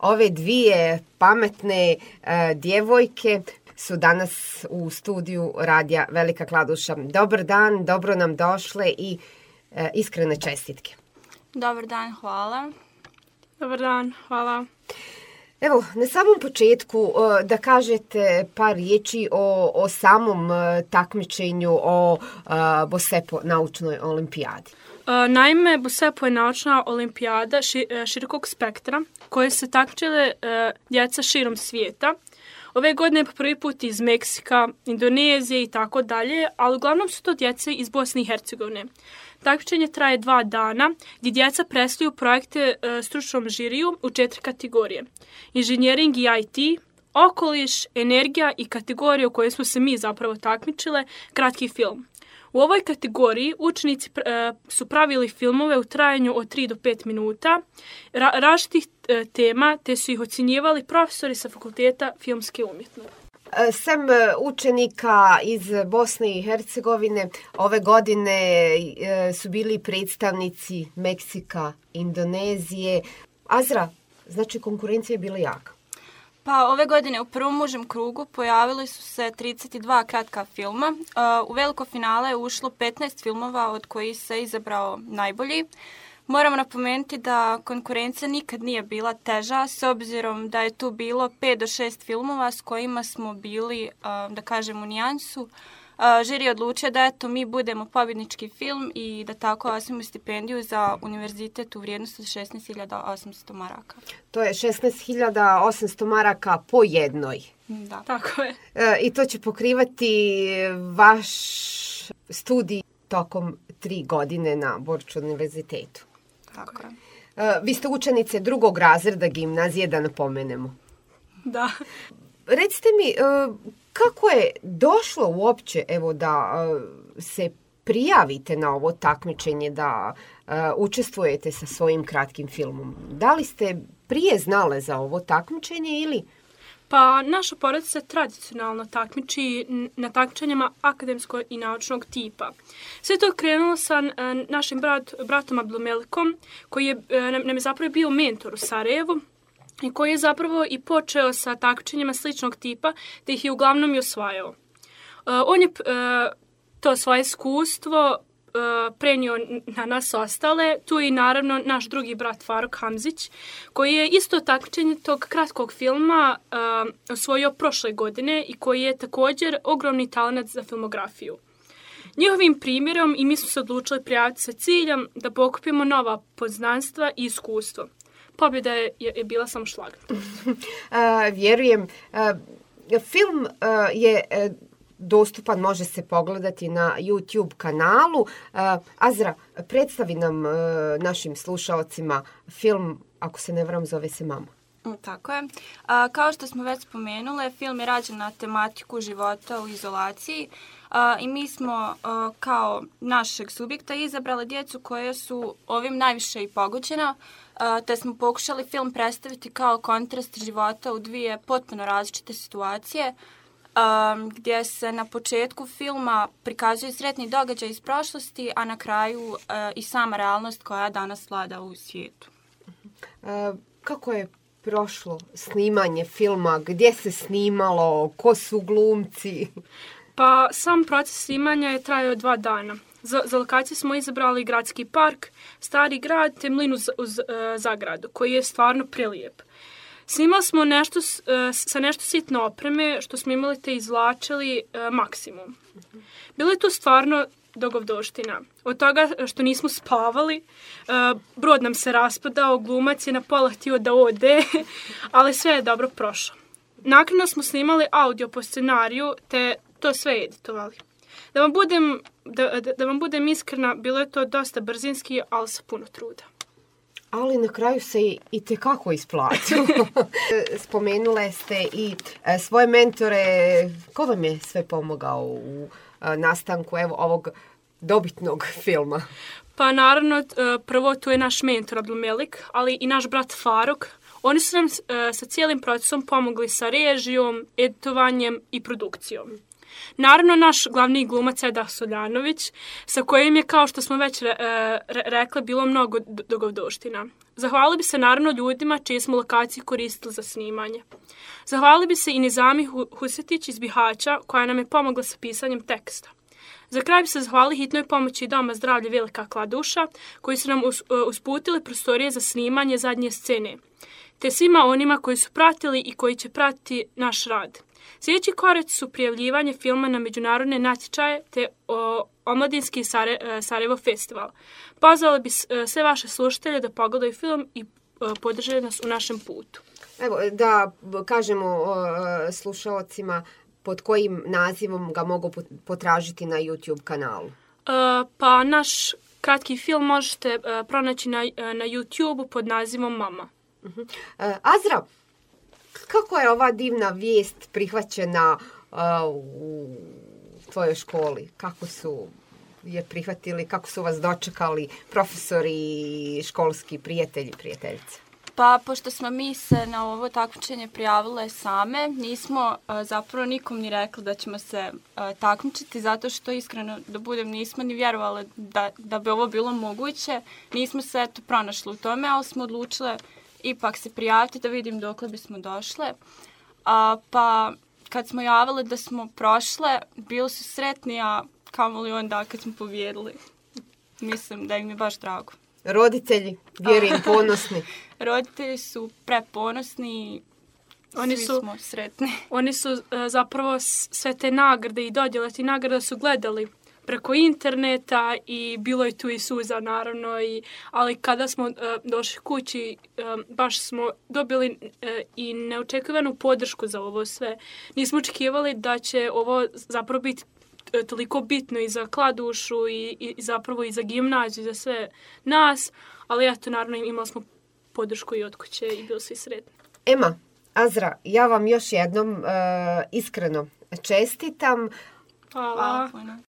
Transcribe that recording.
ove dvije pametne djevojke su danas u studiju radija Velika Kladuša. Dobar dan, dobro nam došle i iskrene čestitke. Dobar dan, hvala. Dobar dan, hvala. Evo, na samom početku da kažete par riječi o samom takmičenju, o BOSEPO naučnoj olimpijadi. Naime, BOSEPO je naučna olimpijada širokog spektra koje se takmičile djeca širom svijeta. Ove godine po prvi put iz Meksika, Indonezije i tako dalje, ali uglavnom su to djece iz Bosne i Hercegovine. Takmičenje traje 2 dana gdje djeca predstavljaju projekte stručnom žiriju u 4 kategorije. Inženjering i IT, okoliš, energija i kategorija u kojoj smo se mi zapravo takmičile, kratki film. U ovoj kategoriji učenici su pravili filmove u trajanju od 3 do 5 minuta, različitih tema, te su ih ocjenjivali profesori sa Fakulteta filmske umjetnosti. Sem učenika iz Bosne i Hercegovine, ove godine su bili predstavnici Meksika, Indonezije. Azra, znači konkurencija je bila jaka. Pa ove godine u prvom užem krugu pojavili su se 32 kratka filma. U veliko finale je ušlo 15 filmova od kojih se izabrao najbolji. Moramo napomenuti da konkurencija nikad nije bila teža, s obzirom da je tu bilo 5 do 6 filmova s kojima smo bili, da kažem, u nijansu. Žiri je odlučio da mi budemo pobjednički film i da tako osvojimo stipendiju za univerzitet u vrijednosti od 16.800 maraka. To je 16.800 maraka po jednoj. Da. Tako je. I to će pokrivati vaš studij tokom 3 godine na Borču univerzitetu. Tako je. Vi ste učenice 2. razreda gimnazije, da napomenemo. Da. Recite mi, kako je došlo uopće da se prijavite na ovo takmičenje, da učestvujete sa svojim kratkim filmom? Da li ste prije znale za ovo takmičenje ili... Pa naša porodica se tradicionalno takmiči na takmičenjima akademskog i naučnog tipa. Sve to je krenulo sa našim bratom Abdulmelikom, koji nam je zapravo bio mentor u Sarajevu i koji je zapravo i počeo sa takmičenjima sličnog tipa, te ih je uglavnom i osvajao. On je to svoje iskustvo prenio na nas ostale. Tu je i naravno naš drugi brat Faruk Hamzić, koji je isto takmičenje tog kratkog filma osvojio prošle godine i koji je također ogromni talent za filmografiju. Njihovim primjerom i mi smo se odlučili prijaviti sa ciljem da pokupimo nova poznanstva i iskustvo. Pobjeda je bila samo šlag. Vjerujem. Film je dostupan, može se pogledati na YouTube kanalu. Azra, predstavi nam našim slušaocima film, ako se ne varam, zove se Mama. Tako je. Kao što smo već spomenule, film je rađen na tematiku života u izolaciji i mi smo kao našeg subjekta izabrali djecu koje su ovim najviše i pogođena, te smo pokušali film predstaviti kao kontrast života u 2 potpuno različite situacije, gdje se na početku filma prikazuju sretni događaj iz prošlosti, a na kraju i sama realnost koja danas vlada u svijetu. Kako je prošlo snimanje filma? Gdje se snimalo? Ko su glumci? Pa sam proces snimanja je trajao 2 dana. Za lokaciju smo izabrali gradski park, stari grad te mlin uz zagradu, koji je stvarno prelijep. Snimali smo sa nešto sitno opreme, što smo imali te izvlačili maksimum. Bilo je to stvarno dogovdoština. Od toga što nismo spavali, brod nam se raspadao, glumac je na pola htio da ode, ali sve je dobro prošlo. Naknadno smo snimali audio po scenariju, te to sve editovali. Da vam budem iskrena, bilo je to dosta brzinski, ali sa puno truda. Ali na kraju se i tekako isplatilo. Spomenule ste i svoje mentore. Ko vam je sve pomogao u nastanku ovog dobitnog filma? Pa naravno, prvo tu je naš mentor Abdulmelik, ali i naš brat Faruk. Oni su nam sa cijelim procesom pomogli sa režijom, editovanjem i produkcijom. Naravno, naš glavni glumac Eda Soljanović, sa kojim je, kao što smo već rekli, bilo mnogo dogodovština. Zahvalili bi se naravno ljudima čije smo lokacije koristili za snimanje. Zahvalili bi se i Nizami Husetić iz Bihaća, koja nam je pomogla sa pisanjem teksta. Za kraj bi se zahvalili hitnoj pomoći Doma zdravlja Velika Kladuša, koji su nam usputili prostorije za snimanje zadnje scene, te svima onima koji su pratili i koji će pratiti naš rad. Sljedeći koraci su prijavljivanje filma na međunarodne natječaje te Omladinski Sarajevo festival. Pozvali bi sve vaše slušatelje da pogledaju film i podrže nas u našem putu. Evo, da kažemo slušalcima pod kojim nazivom ga mogu potražiti na YouTube kanalu. Pa naš kratki film možete pronaći na YouTube pod nazivom Mama. Azra, kako je ova divna vijest prihvaćena u tvojoj školi? Kako su je prihvatili, kako su vas dočekali profesori i školski prijatelji i prijateljice? Pa, pošto smo mi se na ovo takmičenje prijavile same, nismo zapravo nikom ni rekli da ćemo se takmičiti, zato što iskreno da budem nismo ni vjerovali da bi ovo bilo moguće. Nismo se pronašli u tome, ali smo odlučile ipak se prijaviti da vidim dokle bismo došle. Pa kad smo javile da smo prošle, bili su sretni, a kamoli onda kad smo pobijedili. Mislim da im je baš drago. Roditelji, vjerujem, ponosni. Roditelji su preponosni, svi smo sretni. Oni su zapravo sve te nagrade i dodjele ti nagrada su gledali preko interneta i bilo je tu i suza naravno, ali kada smo došli kući baš smo dobili i neočekivanu podršku za ovo sve. Nismo očekivali da će ovo zapravo biti toliko bitno i za Kladušu i zapravo i za gimnaziju, za sve nas, ali eto, naravno imali smo podršku i od kuće i bili svi sretni. Ema, Azra, ja vam još jednom iskreno čestitam. Hvala.